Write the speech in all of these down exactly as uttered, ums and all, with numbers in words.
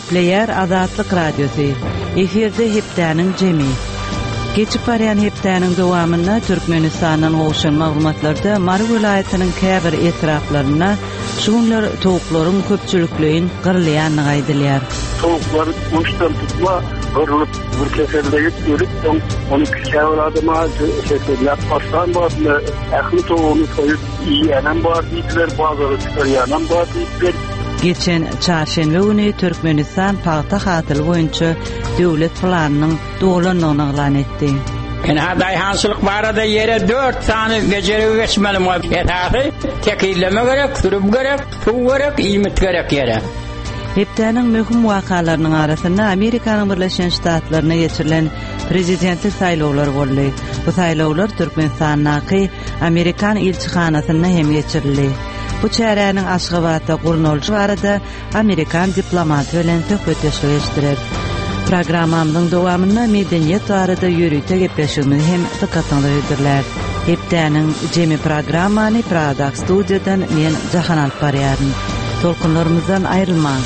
Gepleýär Azatlyk Radiosy. Efirde hepdäniň jemi. Geçip barýan hepdäniň dowamynda Türkmenistandan gowşan maglumatlarda Mary welaýatynyň käbir etraplarynda şu günler towuklaryň köpçülikleýin gyrylýandygy aýdylýar. Towuklar guşdan tutma gyrlyp bir keselleyip ölüp soň ony käbir adama kesellep başlan bardylar. Ähli towugyny soýup iýýänem bar diýdiler, bazara çykarýanam bar diýdiler. Geçen çarşenbe güni Türkmenistan pagta hasyly boýunça döwlet planynyň dolandygyny yglan etdi. Ynha daýhançylyk barada ýere dört sany bejergi geçmeli. Esasy tekizleme gerek, sürüm gerek, suw gerek, iýmit gerek ýere. Hepdäniň möhüm wakalarynyň arasynda Amerikanyň Birleşen Ştatlaryna geçirilen prezidentlik saýlawlary boldy. Bu saýlawlar Türkmenistandaky Amerikan ilçihanasynda hem geçirildi. Bu çäräniň Aşgabatda gurnalyşy barada Amerikan diplomaty bilen söhbetdeşlik geçdiler. Programmamyzyň dowamynda medeniýet barada ýörite gepleşigimizi hem dykgatyňyza hödürler. Hepdäniň jemi programmany Pragadaky studiýadan men Jahan alyp barýaryn. Tolkunlarymyzdan aýrylmaň.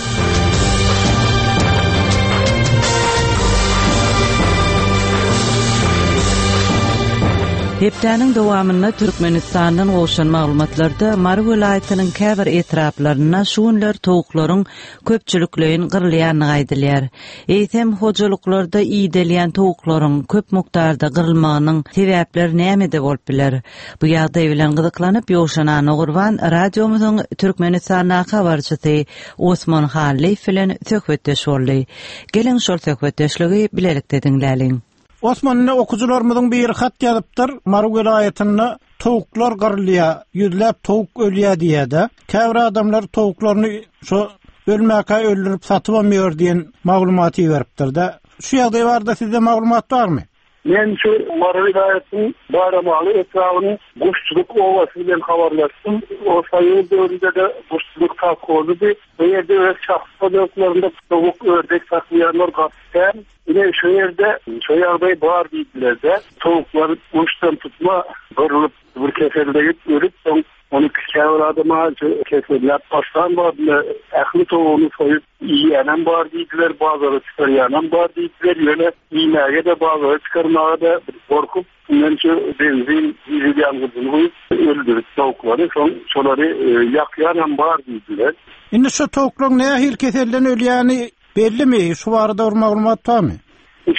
Hepdäniň dowamynda Türkmenistandan gowşan maglumatlarda Mary welaýatynyň käbir etraplarynda şu günler towuklaryň köpçülikleýin gyrylýandygy aýdylýar. Eýsem hojalyklarda iýdelýän towuklaryň köp mukdarda gyrylmagynyň sebäpleri nämede bolup biler? Bu ýagdaý bilen gyzyklanyp Ýowşan Anagurban radiomyzyň Türkmenistandaky habarçysy Osman Hallyýew bilen söhbetdeş boldy. Geliň şol söhbetdeşligi bilelikde diňläliň. Osmanly okuwçylarymyzyň bir hat ýazypdyr. Mary welaýatynda towuklar gyrylýar, ýüzläp towuk ölýär diýýär-de. Käbir adamlar towuklaryny şo ölmäkä öldürip satyp almıyor diýen maglumaty beripdir-de. Şu ýagdaý barada sizde maglumat barmy? Men şu Mary welaýatynyň Baýramaly etrabynyň Guşçulyk obasy bilen habarlaşdym. O saýyl döwründe-de Guşçulyk sowhozydy. Bu ýerde öz şahsy hojalyklarynda towuk, ördek saklaýanlar gaty kän. Ine şu ýerde şu ýagdaý bar diýdiler-de. Towuklar guşdan tutma gyrlyp bir keselleyip ölüp soň ony käbir adama kesellep başlan bardylar. Ähli towugyny soýup iýýänem bar diýdiler, bazara çykarýanam bar diýdiler. Ýöne iýmäge-de bazara çykarmaga-da gorkup, men şu benzin, dizel ýangyjyny guýup öldürip towuklary, soň şolary, e, ýakýanam bar diýdiler. Indi şu towuklaryň nähili keselden ölýäni bellimi? Şu barada bir maglumat barmy?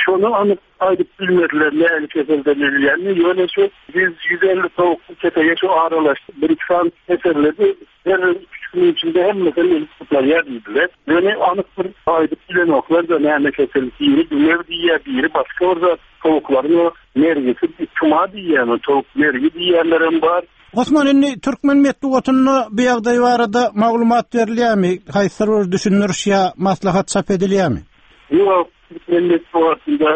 Şonu anyk aýdyp bilmediler nähili keselden ölýänini. Ýöne şu ýüz, ýüz elli towuk ketege şu aralaşdy. Bir iki sany keselledi. Her üç günün içinde hemmesini ölüp gutulýar diýdiler. Ýöne anyk bir aýdyp bilenoklar da näme kesel, biri dümew diýýär, biri başga bir zat. Towuklaryň o mergisi tuma diýýär, towuk mergi diýýänlerem bar. Osman, indi türkmen metbugatynda bu ýagdaý barada maglumat berilýärmi? Haýsydyr bir düşündiriş ýa maslahat çap edilýärmi? Ýok, türkmen metbugatynda,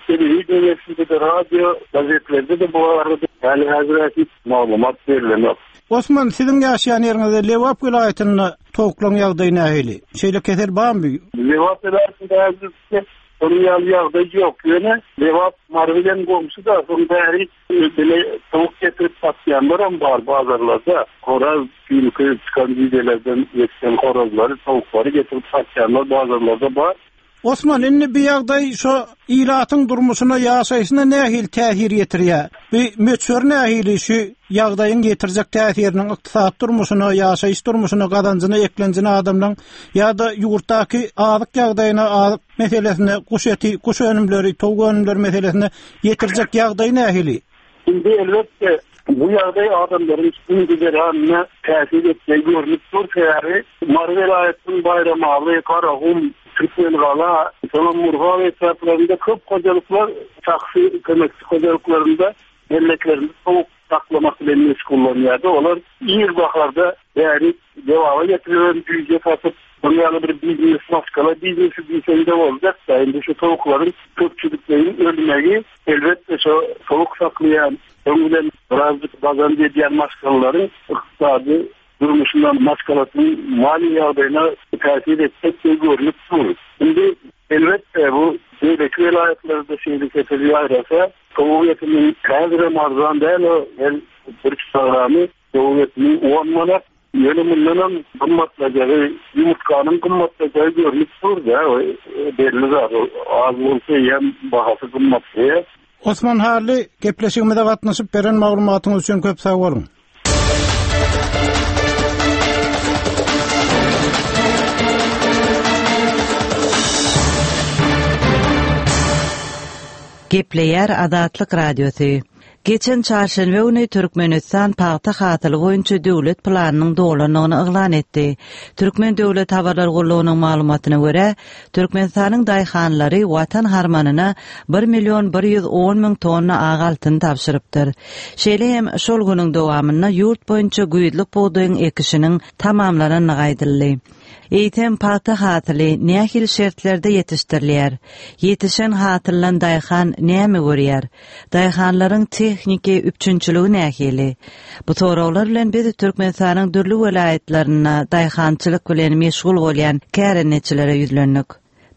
telewideniýesinde, radio, gazetlerde de bu arada hali hazır hiç maglumat berilenok. Osman, siziň ýaşaýan ýeriňizde Lebap welaýatynda towuklaryň ýagdaýy nähili? Şeýle kesel barmy? Lebap welaýatynda häzirlikçe onuň ýaly ýagdaý ýok. Ýöne Lebap Mary bilen goňşy da, soň bäri bile towuk getirip satýanlaram bar bazarlarda. Horaz, ýylky çykan gijelerden ýetişen horazlary, towuklary getirip satýanlar bazarlarda bar. Osman, indi bir ýagdaý şu ilatyň durmuşyna, ýaşaýşyna nähili täsir ýetirýär? Bu möçber nähili şu ýagdaýyň ýetirjek täsiriniň ykdysady durmuşyna, ýaşaýyş durmuşyna, gazanjyna, eklenjine adamlaryň ýa-da ýurtdaky azyk ýagdaýyna, azyk meselesine, guş eti, guş önümleri, towuk önümleri meselesine ýetirjek ýagdaý nähili? Indi elbetde bu ýagdaý adamlaryň gün-güzeranına täsir etmegi görnüp dur. Sebäbi Mary welaýatynyň Baýramaly, Garagum, Türkmengala, soňra Murgap etraplarynda köp hojalyklar şahsy kömekçi hojalyklarynda melleklerini towuk saklamak bilen meşgullanýardy. Olar ir baharda bäri dewama getirilen güýje satyp, bunun ýaly bir biznes, maşgala biznesi diýseň de boljak da. Indi şu towuklaryň köpçülikleýin ölmegi elbetde şu towuk saklaýan, soň bilen birazcık gazanç edýän maşgalalaryň ykdysady durmuşyna, maşgalasynyň maliýe ýagdaýyna täsir etjek görnüp dur. Indi elbetde bu beýleki welaýatlarda şeýle kesel ýaýrasa, towuk etiniň häzirem arzan däl, o her bir kilogramy towuk etiniň on manat, Ýöne mundanam gymmatlajagy, ýumurtganyň gymmatlajagy görnüp dur-da, belli zat, az bolsa hem bahasy gymmatlaýar. Osman Hally, gepleşigimize gatnaşyp beren maglumatyňyz üçin köp sag boluň. Gepleýär Azatlyk Radiosy. Geçen çarşenbe güni Türkmenistan pagta hasyly boýunça döwlet planynyň dolandygyny yglan etdi. Türkmen döwlet habarlar gullugynyň maglumatyna görä, Türkmenistanyň daýhanlary watan harmanyna bir million bir ýüz on müň tonna ak altyn tabşyrypdyr. Şeýle hem şol günüň dowamynda ýurt boýunça güýzlük bugdaýyň ekişiniň tamamlanandygy aýdyldy. Eýsem pagta hasyly nähili şertlerde ýetişdirilýär? Ýetişen hasyldan daýhan näme görýär? Daýhanlaryň tehniki üpjünçiligi nähili? Bu soraglar bilen biz Türkmenistanyň dürli welaýatlarynda daýhançylyk bilen meşgul bolýan kärendeçilere ýüzlendik.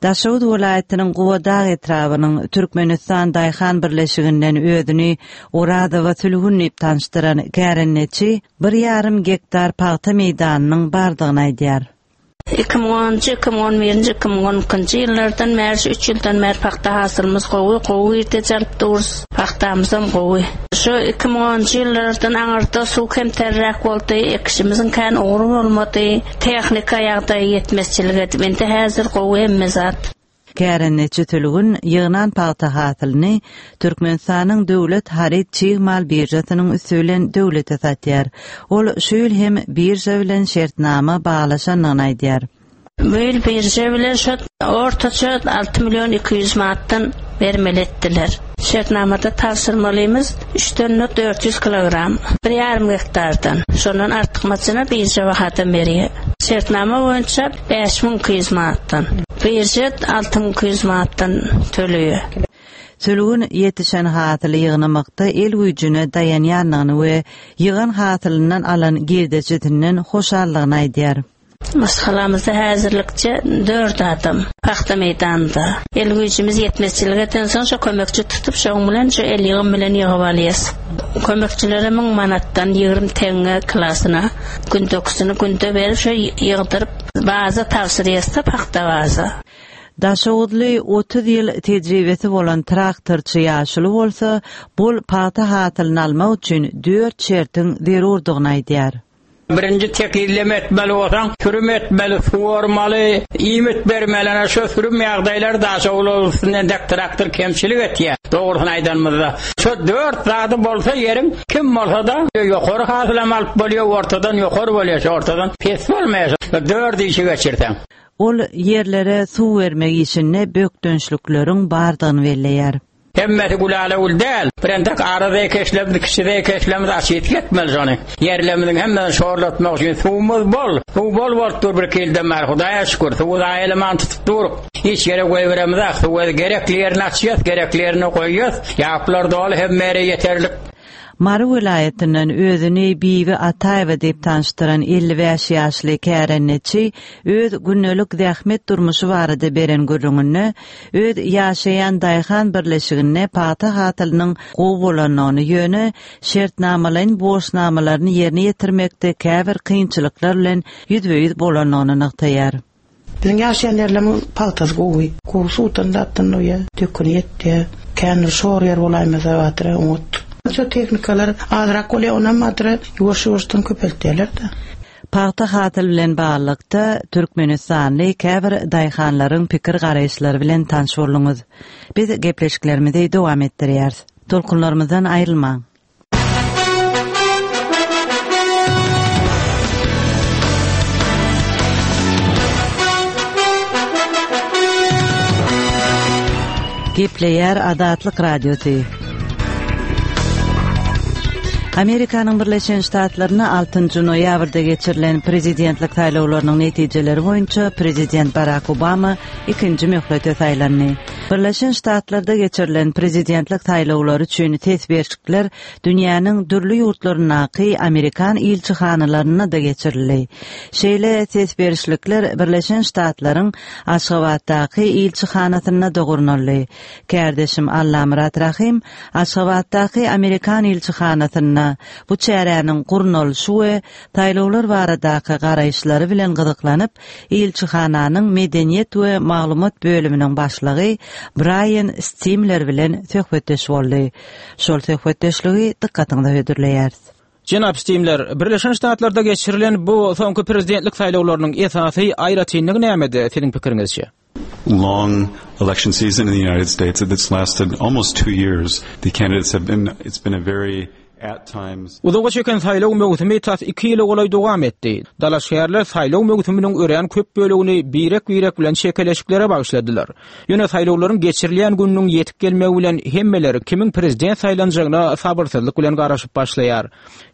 Daşoguz welaýatynyň Gubadag etrabynyň Türkmenistan Daýhan Birleşiginden özüni Orazowa Sülgün diýip tanyşdyran kärendeçi bir ýarym gektar pagta meýdanynyň bardygyny aýdýar. Iki müň onunjy, iki müň on birinji, iki müň on ikinji ýyllardan bäri, şu üç ýyldan bäri pagta hasylymyz gowy, gowy girde çalyp duruz. Pagtamyzam gowy. Şu iki müň onunjy ýyllardan aňyrda suw kemterräk boldy, ekişimizin kän ugry bolmady, tehnika ýagdaýy ýetmezçilik edip, indi häzir gowy hemme zat. Kärendeçi Sülgün ýygnan pagta hasylyny Türkmenistanyň döwlet haryt çig mal birjasynyň üsti bilen döwlete satýar. Ol şu ýyl hem birja bilen şertnama baglaşandygyny aýdýar. Bu ýyl birja bilen şu ortaça alty million iki ýüz manatdan bermeli etdiler. Şertnamada tabşyrmalymyz üç tonna dört ýüz kilogram, bir ýarym gektardan. Şondan artykmaçyna birja bahadan berýär. Şertnama boýunça bäş müň iki ýüz manatdan. Birja alty müň iki ýüz manatdan töleýär. Sülgün ýetişen hasyly ýygnamakda el güýjüne daýanýandygyny we ýygan hasylyndan alan girdejisinden hoşallygyny aýdýar. Maşgalamyzda häzirlikçe dört adam pagta meýdanynda. El güýjümiz ýetmezçilik eden soň şo kömekçi tutup, şoň bilen şo el ýygym bilen ýygyp alýas. Kömekçilere müň manatdan ýigrimi teňňe klasyna gündekisini günde berip şo ýygdyryp baza tabşyrýas-da pagta baza. Daşoguzly otuz ýyl tejribesi bolan traktorçy ýaşuly bolsa, bol pagta hasylyny almak üçin dört şertiň zerurdygyny aýdýar. Birinji tekizleme etmeli bolsaň, sürüm etmeli, suwarmaly, iýmit bermeli, ana şu sürüm ýagdaýlary Daşoguz üstünden dek traktor kemçilik etýär. Dogrusyny aýdanymyzda, şu dört zady bolsa ýeriň kim bolsa da ýokary hasylam alyp bolýar, ortadan ýokary bolýar, şu ortadan pes bolmaýar. Şu dört işi geçirseň. Ol ýerlere suw bermek işinde bökdençlikleriň bardygyny belleýär. Hemmesi gülale gül däl. Birentek ara zeýkeşlerimiz, kiçi zeýkeşlerimiz açyp ýetmeli şony. Ýerlerimiziň hemmesini şorlatmak üçin suwumyz bol. Suw bol bolup dur bir iki ýyldan bäri. Hudaýa şükür, suwy zaýalaman tutup duruk. Hiç ýere goýberemiz ak. Suwy gerekli ýerine açýas, gerekli ýerine goýýas. Ýaplar doly, hemme ýere ýeterlik. Mary welaýatyndan özüni Bibi Ataýewa diýip tanyşdyran elli bäş ýaşly kärendeçi öz gündelik zähmet durmuşy barada beren gürrüňinde öz ýaşaýan daýhan birleşiginde pagta hasylynyň gowy bolandygyny, ýöne şertnamalaýyn borçnamalaryny ýerine ýetirmekde käbir kynçylyklar bilen ýüzbe-ýüz bolandygyny nygtaýar. Biziň ýaşaýan ýerlerimiz pagtasy gowy. Gowy suwdan zatdan doýa, döküni ýetdi. Kändir şor ýer bolaýmasa batyra oňat. Şu tehnikalar azrak bolýar, onam batyra ýuwaş-ýuwaşdan köpeltýärler-de. Pagta hasyl bilen baglylykda Türkmenistanly käbir daýhanlaryň pikir garaýyşlary bilen tanyş bolduňyz. Biz gepleşiklerimizi dowam etdirýäris. Tolkunlarymyzdan aýrylmaň. Gepleýär Azatlyk Radiosy. Amerikanyň Birleşen Ştatlarynda altynjy noýabrda geçirilen prezidentlik saýlawlarynyň netijeleri boýunça prezident Barack Obama ikinji möhlete saýlandy. Birleşen Ştatlarda geçirilen prezidentlik saýlawlary üçin ses berişlikler dünýäniň dürli ýurtlaryndaky Amerikan ilçihanalarynda da geçirildi. Şeýle ses berişlikler Birleşen Ştatlaryň Aşgabatdaky ilçihanasynda da gurnaldy. Kärdeşim Allamyrat Rahim Aşgabatdaky Amerikan ilçihanasynda Türkmenistanda bu çäräniň gurnalyşy we saýlawlar baradaky garaýyşlary bilen gyzyklanyp, ilçihananyň medeniýet we maglumat bölüminiň başlygy Braýan Stimler bilen söhbetdeş boldy. Şol söhbetdeşligi dykgatyňyza hödürleýäris. Jenap Stimler, Birleşen Ştatlarda geçirilen bu soňky prezidentlik saýlawlarynyň esasy aýratynlygy nämede siziň pikiriňizçe? long election season in the United States that's lasted almost two years. The candidates have been, it's been a very at times Uzaga çeken saýlaw möwsümi tas iki ýyla golaý dowam etdi. Dalaşgärler saýlaw möwsüminiň örän köp bölegini birek-birek bilen çekeleşiklere bagyşladylar. Ýöne saýlawlaryň geçirilýän gününiň ýetip gelmegi bilen hemmeler kimiň prezident saýlanjagyna sabyrsyzlyk bilen garaşyp başlaýar.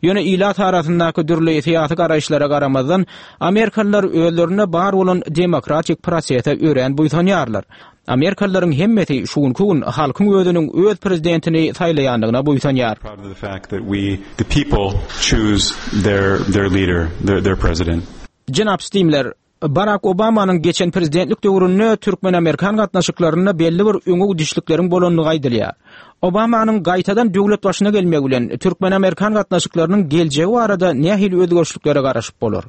Ýöne ilat arasyndaky dürli syýasy garaýyşlara garamazdan, Amerikalylar özlerinde bar bolan demokratik prosese örän buýsanýarlar. Amerikalylaryň hemmesi şu günki gün halkyň özüniň öz prezidentini saýlaýandygyna buýsanýar. proud of the fact that we, the people, choose their, their leader, their, their president. Jenap Stimler, Barack Obamanyň geçen prezidentlik döwründe Türkmen-Amerikan gatnaşyklarynda belli bir öňe gidişlikleriň bolandygy aýdylýar. Obamanyň gaýtadan döwlet başyna gelmegi bilen Türkmen-Amerikan gatnaşyklarynyň geljegi barada nähili özgerişliklere garaşyp bolar?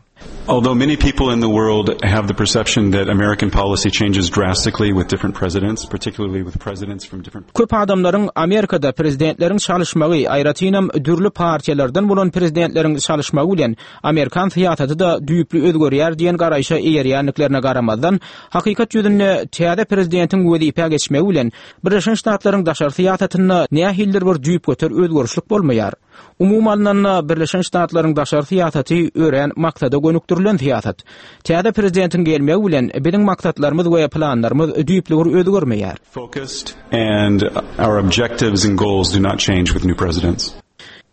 Although many people in the world have the perception that American policy changes drastically with different presidents, particularly with presidents from different Köp adamlaryň Amerikada prezidentleriň çalyşmagy, aýratynam dürli partiýalardan bolan prezidentleriň çalyşmagy bilen Amerikan syýasaty-da düýpli özgerýär diýen garaýşa eýerýändiklerine garamazdan, hakykat ýüzünde täze prezidentiň wezipä geçmegi bilen Birleşen Ştatlaryň daşary syýasatynda nähilidir bir düýpgöter özgerişlik bolmaýar. Umuman alnanda Birleşen Ştatlaryň daşary syýasaty örän maksada gönükdirilen syýasat. Täze prezidentiň gelmegi bilen biziň maksatlarymyz we planlarymyz düýpli bir özgermeýär. focused, and our objectives and goals do not change with new presidents.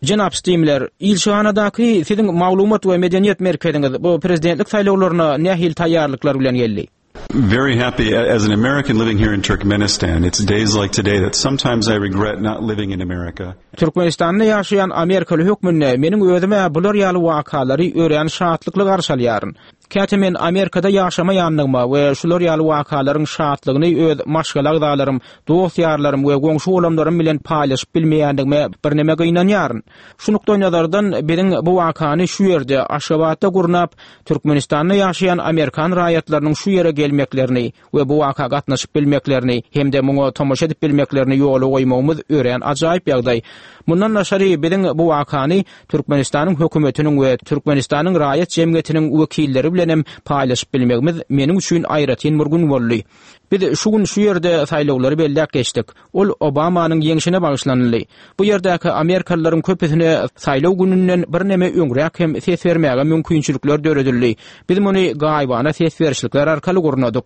Jenap Stimler, ilçihanadaky siziň maglumat we medeniýet merkeziňiz bu prezidentlik saýlawlaryna nähili taýýarlyklar bilen geldi? Very happy as an American living here in Turkmenistan. It's days like today that sometimes I regret not living in America. Türkmenistanda ýaşaýan Amerikaly hökmünde meniň özüme bular ýaly wakalary örän şatlykly garşy alýaryn. Käte men Amerikada ýaşamaýandygyma we şular ýaly wakalaryň şatlygyny öz maşgala agzalarym, dost ýarlarym we goňşy bolanlarym bilen paýlaşyp bilmeýändigime birneme gynanýaryn. Şu nukdaý nazardan biziň bu wakany şu ýerde Aşgabatda gurnap, Türkmenistanda ýaşaýan Amerikan raýatlarynyň şu ýere gelmeklerini we bu waka gatnaşyp bilmeklerini hem-de muňa tomaşa edip bilmeklerini ýola goýmagymyz örän ajaýyp ýagdaý. Mundan daşary biziň bu wakany Türkmenistanyň hökümetiniň we Türkmenistanyň raýat jemgyýetiniň wekilleri bilen hem paýlaşyp bilmegimiz meniň üçin aýratyn bir gün boldy. Biz şu gün şu ýerde saýlawlary belläp geçdik. Ol Obamanyň ýeňşine bagyşlanyldy. Bu ýerdäki Amerikalylaryň köpüsine saýlaw gününden birneme öňräk hem ses bermäge mümkinçilikler döredildi. Biz muny gaýybana ses berişlikler arkaly gurnadyk.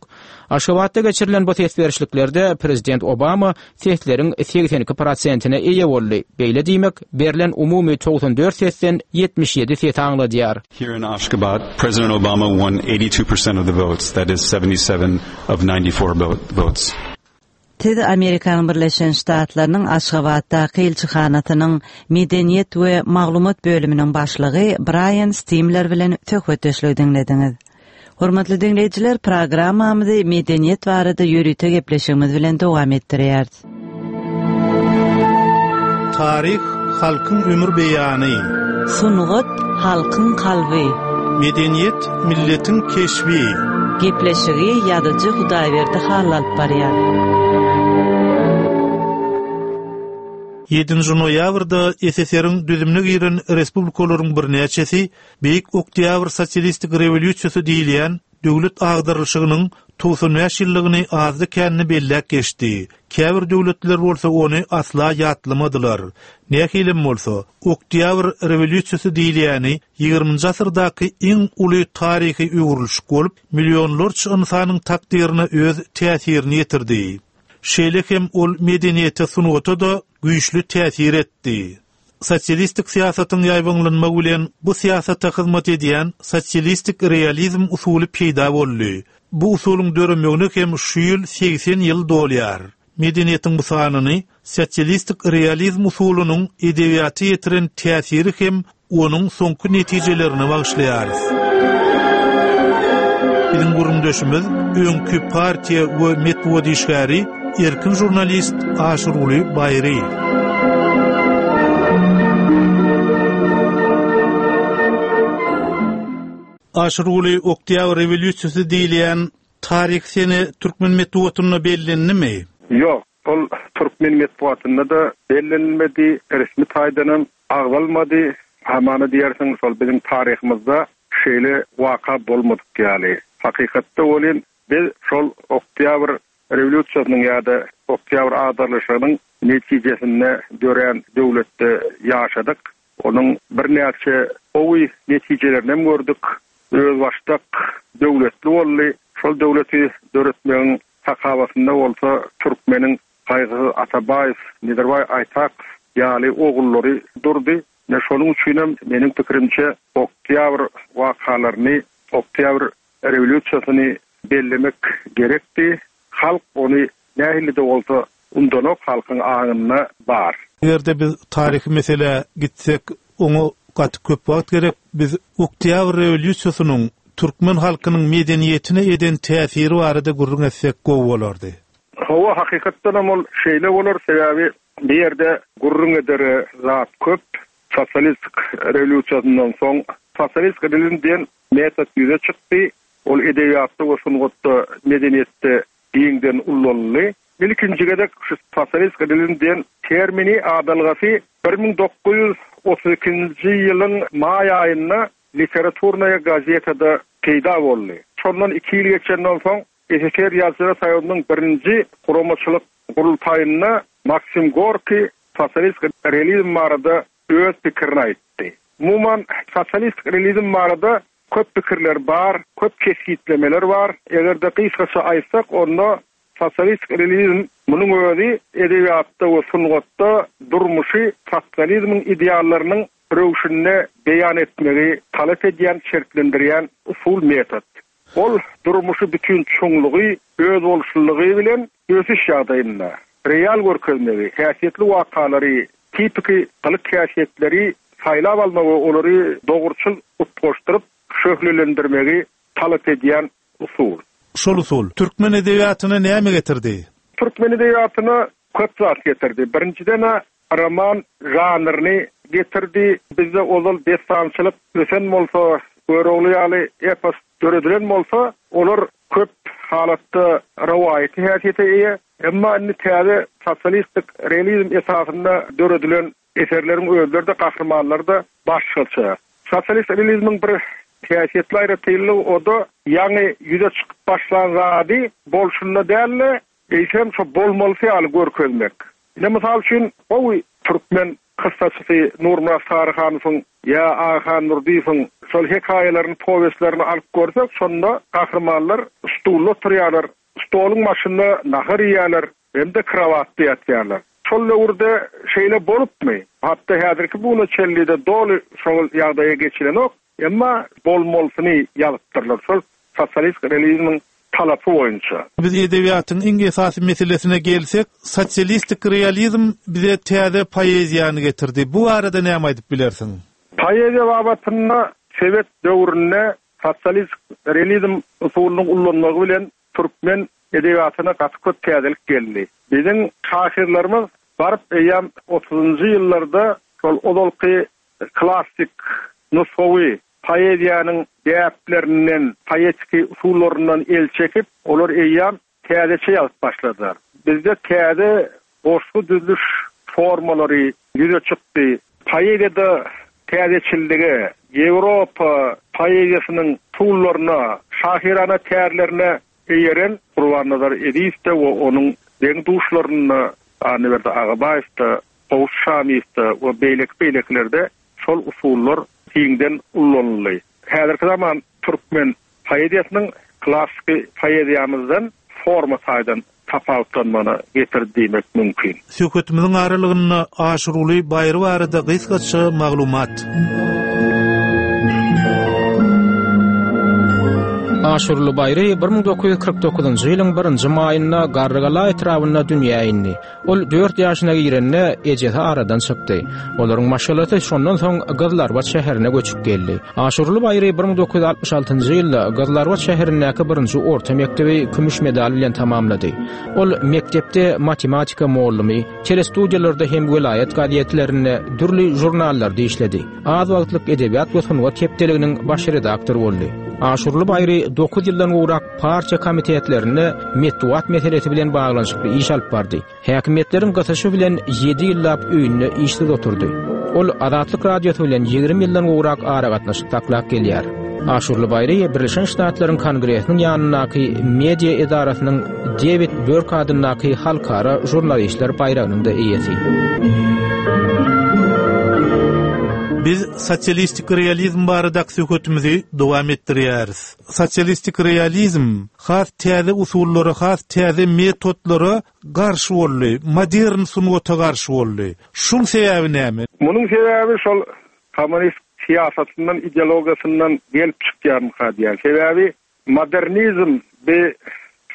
Aşgabatda geçirilen bu ses berişliklerde prezident Obama sesleriň segsen iki prosentine eýe boldy. Beýle diýmek, berlen umumy togsan dört sesden ýetmiş ýedi ses aňladýar. Here in Ashgabat, President Obama won eighty-two percent of the votes, that is seventy-seven of ninety-four votes. Siz Amerikanyň Birleşen Ştatlarynyň Aşgabatdaky ilçihanasynyň medeniýet we maglumat bölüminiň başlygy Braýan Stimler bilen söhbetdeşlik diňlediňiz. Hormatly diňleýjiler, programmamyzy medeniýet barada ýörite gepleşigimiz bilen dowam etdirýäris. Taryh halkyň ömür beýany. Sungat halkyň kalby. Medeniýet milletiň keşbi. Gepleşigi ýazyjy Hudaýberdi Hally alyp barýar. Ýedinji noýabrda S S R-iň düzümine giren respublikalaryň birnäçesi Beýik Oktýabr sosialistik rewolýusiýasy diýilýän döwlet agdarylyşygynyň togsan bäş ýyllygyny azdy känini belläp geçdi. Käbir döwletler bolsa ony asla ýatlamadylar. Nähilem bolsa, Oktýabr rewolýusiýasy diýilýäni ýigriminji asyrdaky iň uly taryhy öwrülişik bolup, millionlarça ynsanyň takdyryna öz täsirini ýetirdi. Şeýle hem ol medeniýete sungata da güýçli täsir etdi. Sosialistik syýasatyň ýaýbaňlanmagy bilen bu syýasata hyzmat edýän sosialistik realizm usuly peýda boldy. Bu usulyň döremegine hem şu ýyl segsen ýyl dolýar. Medeniýetiň bu sanyny sosialistik realizm usulynyň edebiýata ýetiren täsiri hem onuň soňky netijelerini bagyşlaýarys. Biziň gürrüňdeşimiz öňki partiýa we metbugat işgäri erkin žurnalist Aşyrguly Baýry. Aşyrguly Oktýabr rewolýusiýasy diýilýän taryhy sene türkmen metbugatynda bellendimi? Ýok, ol türkmen metbugatynda-da bellenilmedi, resmi taýdanam agzalmady. Hamana diýersiň, şol biziň taryhymyzda şeýle waka bolmadyk ýaly. Hakykatda welin biz şol Oktýabr rewolýusiýasynyň ýa-da Oktýabr agdarylyşygynyň netijesinde dörän döwletde ýaşadyk. Onuň birnäçe gowy netijelerini hem gördük. Özbaşdak döwletli boldy. Şol döwleti döretmegiň sakawatynda bolsa türkmeniň Gaýgysyz Atabaýew, Nedirbaý Aýtakow ýaly ogullary durdy. Ine şonuň üçinem meniň pikirimçe Oktýabr wakalaryny, Oktýabr rewolýusiýasyny bellemek gerekdi. Halk ony nähili-de bolsa undanok, halkyň aňynda bar. Eger-de biz taryhy meselä gitsek, oňa gaty köp wagt gerek. Biz Oktýabr rewolýusiýasynyň türkmen halkynyň medeniýetine eden täsiri barada gürrüň etsek gowy bolardy. Hawa, hakykatdanam ol şeýle bolar, sebäbi bu ýerde gürrüň edere zat köp. Sosialistik rewolýusiýasyndan soň sosialistik realizm diýen metod ýüze çykdy. Ol edebiýatda we sungatda, medeniýetde giňden ullanyldy. Ilkinji gezek şu sosialistik realizm diýen termini, adalgasy bir müň dokuz ýüz otuz ikinji ýylyň maý aýynda Literaturnaýa gazetada peýda boldy. Şondan iki ýyl geçenden soň S S R Ýazyjylar Soýuzynyň birinji guramaçylyk gurultaýynda Maksim Gorkiý sosialistik realizm barada öz pikirini aýtdy. Umuman, sosialistik realizm barada köp pikirler bar, köp kesgitlemeler bar. Eger-de gysgaça aýtsak, onda sosialistik realizm munuň özi edebiýatda we sungatda durmuşy sosializmiň ideallarynyň röwşünde beýan etmegi talap edýän, şertlendirýän usul metod. Ol durmuşy bütün çuňlugy, özboluşlylygy bilen ösüş ýagdaýynda real görkezmegi, häsiýetli wakalary, tipiki gylyk häsiýetleri saýlap almagy we olary dogruçyl utgaşdyryp şöhlelendirmegi talap edýän usul. Şol usul türkmen edebiýatyna näme getirdi? Türkmen edebiýatyna köp zat getirdi. Birinjiden roman žanryny getirdi. Bizde ozal destançylyk ösen bolsa, Görogly ýaly epos döredilen bolsa, olar köp halatda rowaýaty häsiýete eýe. Emma indi täze sosialistik realizm esasynda döredilen eserleriň özleri-de, gahrymanlary-da başgaça. Sosialist realizmiň bir häsiýetli aýratynlygy o-da ýaňy ýüze çykyp başlan zady bolşunda däl-de, eýsem şo bolmalysy ýaly görkezmek. Ine mysal üçin gowy türkmen kyssaçysy Nurmyrat Saryhanowyň ýa Agahan Nurdyýewiň şol hekaýalaryny, powestlerini alyp görsek, şonda gahrymanlar stulda oturýarlar, stoluň başynda nahar iýýärler, hem-de kravatda ýatýarlar. Şol döwürde şeýle bolupmy? Hatda häzirki buguna çenli-de doly şol ýagdaýa geçilenok, emma bolmalysyny ýazypdyrlar şol sosialist realizmiň talapy boýunça. Biz edebiýatyň iň esasy meselesine gelsek, sosialistik realizm bize täze poeziýany getirdi. Bu barada näme aýdyp bilersiň? Poeziýa babatynda Sowet döwründe sosialist realizm usulynyň ullanmagy bilen türkmen edebiýatyna gaty köp täzelik geldi. Biziň şahyrlarymyz baryp eýýäm otuzynjy ýyllarda şol ozalky klassyk nusgawy poeziýanyň däplerinden, poetiki usullaryndan el çekip, olar eýýäm täzeçe ýazyp başladylar. Bizde täze goşgy düzüliş formalary ýüze çykdy. Poeziýada täzeçillige, Ýewropa poeziýasynyň usullaryna, şahyrana tärlerine eýeren Gurbannazar Ezizow-da we onuň deň duşlarynda Annaberdi Agabaýew-da, Gowşut Şamyýew-da we beýleki beýlekilerde şol usullar giňden ullanyldy. Häzirki zaman türkmen poeziýasynyň klassyky poeziýamyzdan forma taýdan tapawutlanmagyna getirdi diýmek mümkin. Söhbetimiziň aralygynda Aşyrguly Baýry barada gysgaça maglumat. Aşyrguly Baýry bir müň dokuz ýüz kyrk dokuzynjy ýylyň birinji maýynda Garrygala etrabynda dünýä indi. Ol dört ýaşyna girende ejesi aradan çykdy. Olaryň maşgalasy şondan soň Gyzlarbat şäherine göçüp geldi. Aşyrguly Baýry bir müň dokuz ýüz altmyş altynjy ýylda Gyzlarbat şäherindäki birinji orta mekdebi kümüş medal bilen tamamlady. Ol mekdepde matematika muallymy, telestudiýalarda hem welaýat gazetlerinde dürli jurnallarda işledi. Az wagtlyk edebiýat we sungat hepdeliginiň baş redaktory boldy. Aşurly Baýry dokuz ýyldan gowrak partiýa komitetlerinde metbugat meselesi bilen baglanyşykly iş alyp bardy. Häkimiýetleriň gysyşy bilen ýedi ýyllap öýünde işsiz oturdy. Ol Azatlyk Radiosy bilen ýigrimi ýyldan gowrak aragatnaşyk saklap gelýär. Aşurly Baýry Birleşen Ştatlaryň Kongresiniň ýanyndaky media edarasynyň David Burke adyndaky halkara žurnalistler baýragynyň da eýesi. Biz sosialistik realizm baradaky söhbetimizi dowam etdirýäris. Sosialistik realizm has täze usullara, has täze metodlara garşy boldy, modern sungata garşy boldy. Şuň sebäbi näme? Munuň sebäbi şol kommunist syýasatyndan, ideologiýasyndan gelip çykýarmyka diýen. Sebäbi modernizm bir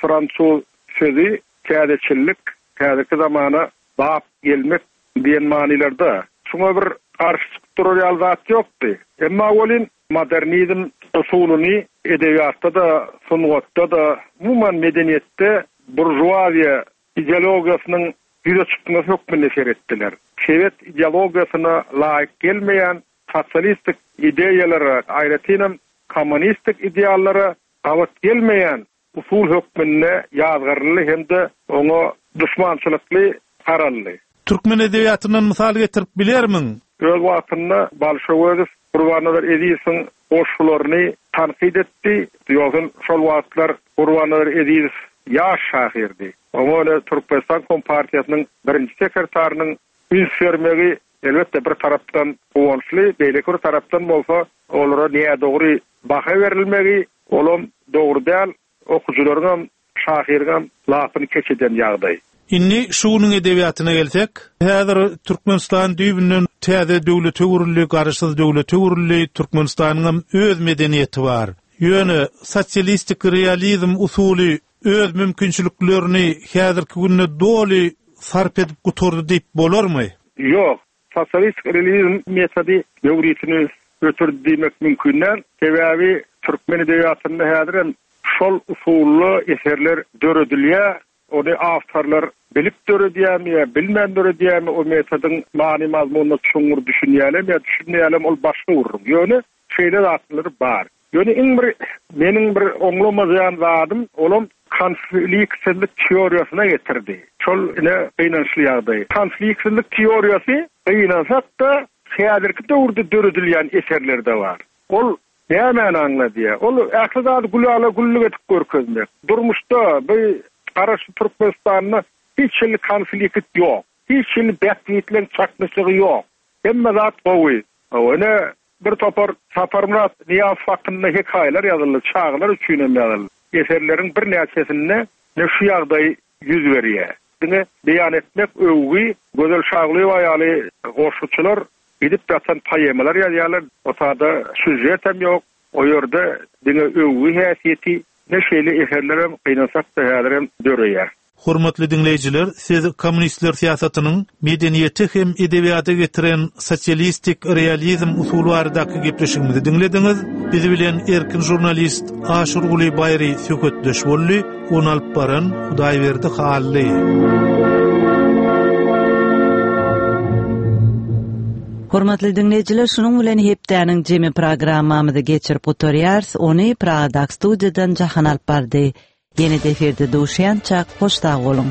fransuz sözi täzeçillik, täzeki zamana bap gelmek diýen manylarda. Şuňa bir garşy çykyp durar ýaly zat ýokdy. Emma welin modernizm usulyny edebiýatda da, sungatda da, umuman medeniýetde burjuaziýa ideologiýasynyň ýüze çykmasy hökmünde seretdiler. Sovet ideologiýasyna laýyk gelmeýän sosialistik ideýalara, aýratynam kommunistik ideallara gabat gelmeýän usul hökmünde ýazgaryldy hem-de oňa düşmançylykly garaldy. Türkmen edebiýatyndan mysal getirip bilermiň? Öz wagtynda Balşöwezow Gurbannazar Ezizowyň goşgularyny tankyt etdi. Ýogsa şol wagtlar Gurbannazar Ezizow ýaş şahyrdy. Oňa öyle Türkmenistan Kompartiýasynyň birinji sekretarynyň üns bermegi elbetde bir tarapdan guwançly, beýleki bir tarapdan bolsa olara nädogry baha berilmegi, olam dogry däl, okujylaryň hem, şahyryň hem lapyny keç eden ýagdaý. Indi şu günüň edebiýatyna gelsek, häzir Türkmenistan düýbünden täze döwlete öwrüldi, garaşsyz döwlete öwrüldi, Türkmenistanyň hem öz medeniýeti bar. Ýöne sosialistik realizm usuly öz mümkinçiliklerini häzirki günde doly sarp edip gutardy diýip bolarmy? Ýok, sosialistik realizm metody döwrüsini ötürdi diýmek mümkin däl. Sebäbi türkmen edebiýatynda häzir hem şol usully eserler döredilýär. Ony awtorlar bilip döredýärmi ýa bilmän döredýärmi, o metodyň many mazmunyna çuňňur düşünýärler ýa düşünmeýärler, ol başga gürrüň. Ýöne şeýle zatlar bar. Ýöne iň bir meniň bir oňlamaýan zadym, olam konfliktsizlik teoriýasyna getirdi. Şol ine gynançly ýagdaý. Konfliktsizlik teoriýasy gynansak-da häzirki döwürde döredilýän eserlerde bar. Ol nämäni aňladýar? Ol ähli zady gülala güllük edip görkezmek. Durmuşda bu garaşsyz Türkmenistanda hiç hili konflikt ýok. Hiç hili bähbitleň çaknyşygy ýok. Hemme zat gowy. Ine bir topar Saparmyrat Nyýazow hakynda hekaýalar ýazyldy, çagalar üçin hem ýazyldy. Eserleriň bir näçesinde ne şu ýagdaý ýüz berýär. Diňe beýan etmek öwgi, Gözel Şaglyýewa ýaly goşguçylar gidip ýatan poemalar ýazýarlar. O sada süžet hem ýok. O ýerde diňe öwgi häsiýeti, ne şeýle eserler hem gynansak-da häzir hem döreýär. Hormatly dinleýjiler, siz kommunistler syýasatynyň medeniýeti hem edebiýata getiren sosialistik realizm usuly baradaky gepleşigimizi dinlediňiz. Biz bilen erkin žurnalist Aşurguly Baýry söhbetdeş boldy. Ony alyp baran Hudaýberdi Hally. Hormatly dinleýjiler, şunuň bilen hepdäniň jemi programmamyzy geçirip gutarýarys. Ony Pragadaky studiýadan Jahan alyp bardy. Ýene de efirde duşýançak, hoş sag boluň.